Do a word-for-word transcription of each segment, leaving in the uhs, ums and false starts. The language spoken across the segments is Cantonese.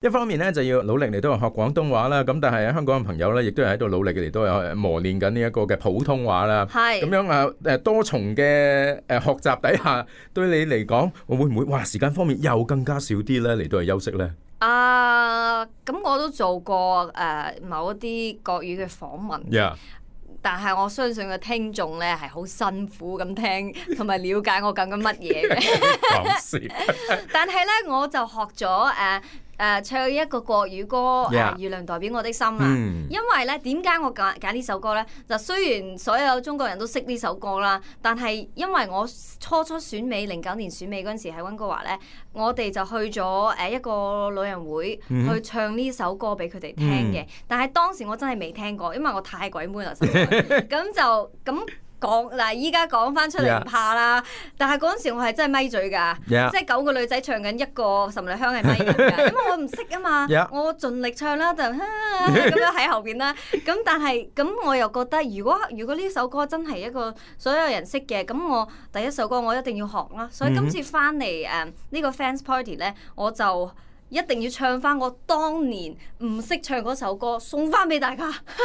一方面咧就要努力嚟到學廣東話啦，咁但係香港嘅朋友咧亦都係喺度努力嚟到有磨練緊呢一個嘅普通話啦。係咁樣啊誒多重嘅誒學習底下，對你嚟講，會唔會哇時間方面又更加少啲咧嚟到去休息咧？啊，咁我都做過誒、呃、某一啲國語嘅訪問。Yeah. 但係我相信個聽眾咧係好辛苦咁聽，同埋了解我講緊乜嘢嘅。但係咧，我就學咗誒。Uh, 誒、呃、唱一個國語歌誒、yeah. 呃、月亮代表我的心啊、嗯、因為咧點解我揀揀呢首歌咧？就雖然所有中國人都識呢首歌啦，但係因為我初初選美零九年選美嗰陣時喺溫哥華咧，我哋就去咗誒一個老人會去唱呢首歌俾佢哋聽嘅、嗯。但係當時我真係未聽過，因為我太鬼悶啦，咁就咁。講嗱，依家講翻出嚟唔怕啦， yeah. 但係嗰陣時我係真係咪嘴㗎，yeah. 即係九個女仔唱緊一個岑麗香係咪㗎，因為我唔識啊嘛，yeah. 我盡力唱啦，就咁樣喺後邊啦。咁但係咁我又覺得，如果如果呢首歌真係一個所有人識嘅，咁我第一首歌我一定要學啦。所以今次翻嚟誒呢個 fans party 咧，我就一定要唱翻我當年唔識唱嗰首歌，送翻俾大家。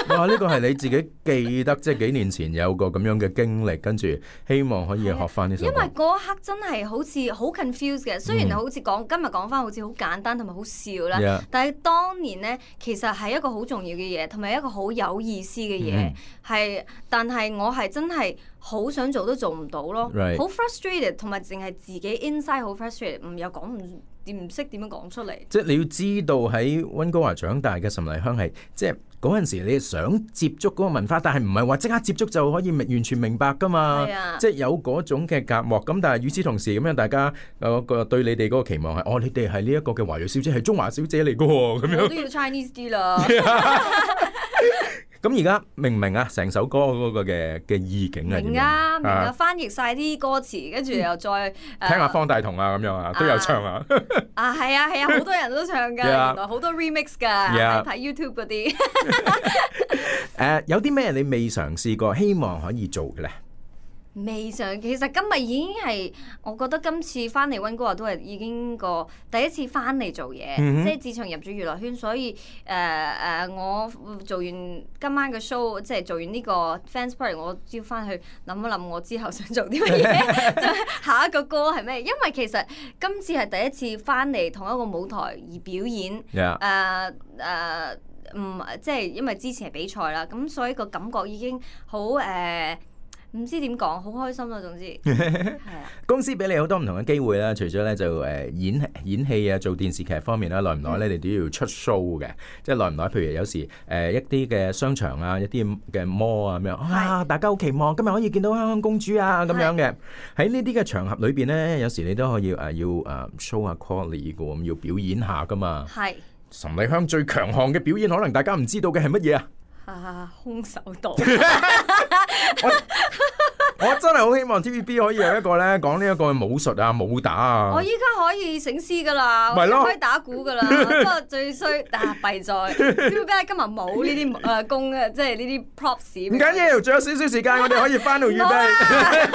哇！呢個係你自己記得，即係幾年前有個咁樣嘅經歷，跟住希望可以學翻呢首歌。因為嗰刻真係好似好 confused 嘅，雖然好似講、嗯、今日講翻好似好簡單同埋好笑啦，yeah. 但係當年咧其實係一個好重要嘅嘢，同埋一個好有意思嘅嘢，係、嗯。但係我係真係好想做都做唔到咯，好、right. frustrated， 同埋淨係自己 inside 好 frustrated， 唔有講唔。唔識點樣講出嚟？即係你要知道喺溫哥華長大嘅岑麗香係，即係嗰陣時你想接觸嗰個文化，但係唔係話即刻接觸就可以完全明白㗎嘛？啊、即係有嗰種嘅隔膜。咁但係與此同時咁樣，大家嗰個對你哋嗰個期望係，哦，你哋係呢一個嘅華裔小姐，係中華小姐嚟㗎喎，咁樣。我都要 Chinese 啲啦。咁而家明唔明啊？成首歌嗰個嘅嘅意境係點樣？明啊，明啊，翻譯晒啲歌詞，跟住又再、嗯呃、聽下方大同啊咁樣啊，都有唱啊。啊，係啊，係啊，好多人都唱㗎， yeah. 原來好多 remix 㗎，睇、yeah. YouTube 嗰啲。誒、uh, 有啲咩你未嘗試過，希望可以做嘅咧？未嘗，其實今日已經係，我覺得今次翻嚟溫哥華都係已經個第一次翻嚟做嘢，mm-hmm. 即係自從入咗娛樂圈，所以誒誒、呃，我做完今晚嘅 show， 即係做完呢個 fans party，我要翻去諗一諗我之後想做啲乜嘢，下一個歌係咩？因為其實今次係第一次翻嚟同一個舞台而表演，誒、yeah. 誒、呃，唔、呃嗯、即係因為之前係比賽啦，咁所以個感覺已經好誒。呃唔知點講，好開心啦！總之係啊，公司俾你好多唔同嘅機會啦，除咗咧就誒演演戲啊，做電視劇方面啦，耐唔耐咧你都要出 show 嘅，即係耐唔耐？譬如有時誒、呃、一啲嘅商場啊，一啲嘅 mall 啊咁樣，啊大家好期望今日可以見到香香公主啊咁樣嘅，喺呢啲嘅場合裏邊咧，有時你都可以誒、呃、要誒 show 下 quality 嘅，咁要表演下噶嘛。係岑麗香最強項嘅表演，可能大家唔知道嘅係乜嘢啊？啊，空手道。我, 我真係好希望 T V B 可以有一個咧講呢一個武術啊、武打啊。我依家可以醒獅噶啦，我可以打鼓噶啦。不過最衰啊，弊在 T V B 今日冇呢啲誒工嘅，即係呢啲 props。唔緊要，仲有少少時間，我哋可以翻到預備。